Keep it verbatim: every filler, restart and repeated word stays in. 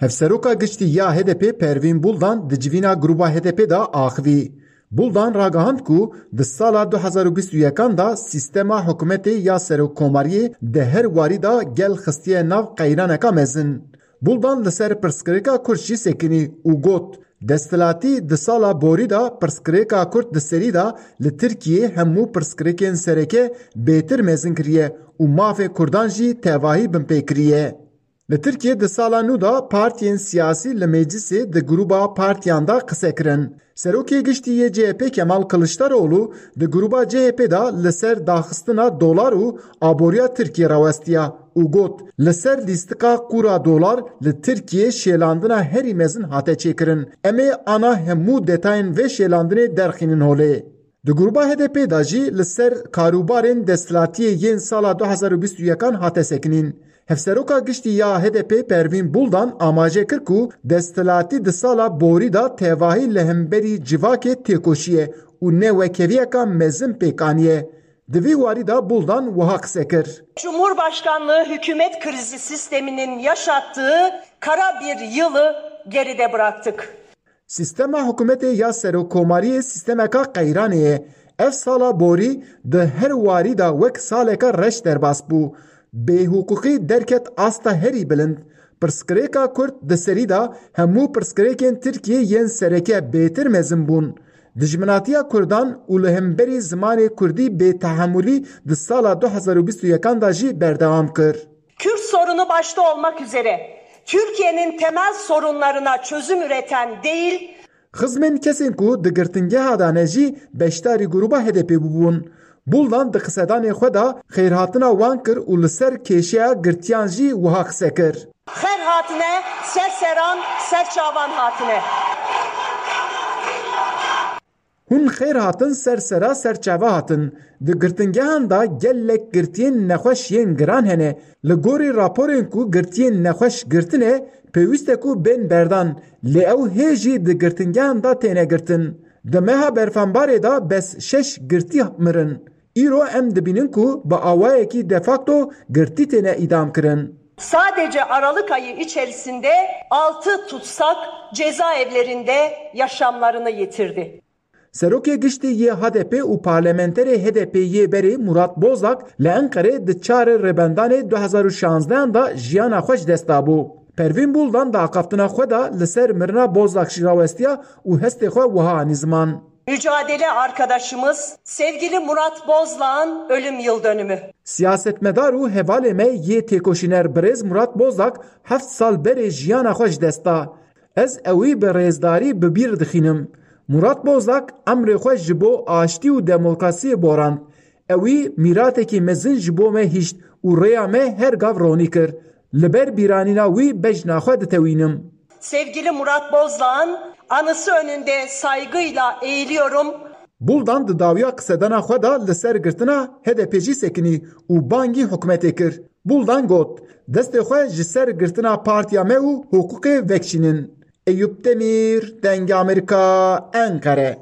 Hevseroka giştî ya H D P Pervîn Buldan di civîna grûba H D P de axivî. Buldan ragihand ku di sala du hezar û bîst û yekan de sîstema hikûmetê ya serokkomariyê di her warî de gel xistiye nav qeyraneka mezin. Buldan li ser pirsgirêka Kurd jî sekinî û got, desthilatî di sala borî de pirsgirêka Kurd di serî de li Tirkiyê hemû pirsgirêkên sereke bêtir mezin kiriye û mafê Kurdan jî tevahî binpê kiriye. Li Tirkiyê di sala nû de partiyên siyasî li meclisê di grûba partiyan de qise kirin. Serokê giştî yê C H P Kemal Kiliçdaroglu di grûba C H P de li ser daxistina dolar û aboriya Tirkiyê rawestiya û got, li ser lîstika qûra dolar li Tirkiyê şêlandina herî mezin hate çêkirin. Em ê ana hemû detayên vê şêlandinê derxînin holê. Di grûba H D P de jî li ser karûbarên desthilatiyê yên sala du hezar û bîst û yekan hate sekinîn. Hevseroka giştî ya H D P Pervîn Buldan amaje kir ku desthilatî di sala borî de tevahî li hemberî civakê têkoşiye û newekeviyeka mezin pêk aniye. Di vî warî de Buldan wiha qise kir. Cumhurbaşkanlığı hükümet krizi sisteminin yaşattığı kara bir yılı geride bıraktık. Sîstema hikûmetê ya serokkomariyê sîstemeka qeyranê ye. Ev sala borî di her warî de wek saleke reş derbas bû. Bêhiqûqî derket asta herî bilind. Pirsgirêka Kurd di serî de hemû pirsgirêkên Tirkiyê yên sereke bêtir mezin bûn. Dijminatiya Kurdan û li hemberî zimanê Kurdî bêtehemûlî di sala du hezar û bîst û yekan de jî berdewam kir. Kürt sorunu başta olmak üzere Türkiye'nin temel sorunlarına çözüm üreten değil, Xizmên kesên ku di girtingeha de ne jî beşdarî grûba H D P bûbûn. Buldan di qisedanê xwe de xêrhatina wan kir û li ser kêşeya girtiyan jî wiha qise kir. Xêr hatine, ser seran, ser çavan hatine. Hûn xêr hatin, ser sera, ser çava hatin. Di girtingehan de gelek girtiyên nexweş yên giran hene. Li gorî raporên ku girtiyên nexweş girtine, pêwîst e ku bên berdan, lê ew hê jî di girtingehan de têne girtin. Di meha berfanbarê de bes şeş girtî mirin. Îro em dibînin ku bi awayekî de facto girtî têne îdam kirin. Sadece Aralık ayı içerisinde altı tutsak cezaevlerinde yaşamlarını yitirdi. Serokê giştî yê H D P û parlamenterê H D P yê berê Murat Bozak li Enqerê di çarê Rêbendanê du hezar û şanzdehan de jiyana xwe ji dest dabû. Pervîn Buldan di axaftina xwe de li ser mirina Bozak jî rawestiya û hestê xwe wiha anî ziman. Mücadele arkadaşımız sevgili Murat Bozlak'ın ölüm yıl dönümü. Siyasetmedar û hevalê me yê têkoşîner birêz Murat Bozak heft sal berê jiyana xwe ji dest da. Ez ewî bi rêzdarî bi bîr dixînim. Murat Bozak emrê xwe ji bo aştî û demokrasiyê borand. Ewî mîratekî mezin ji bo me hişt û rêya me her gav ronî kir. Li ber bîranîna wî bejna xwe ditewînim. Sevgili Murat Bozlak'ın anısı önünde saygıyla eğiliyorum. Buldan di dawiya qisedana xwe de li ser girtina H D P jî sekinî û bangî hikûmetê kir. Buldan got, destê xwe ji ser girtina partiya me û hiqûqê vekişînin. Eyûp Demîr, Dengê Amerîka, Enqere.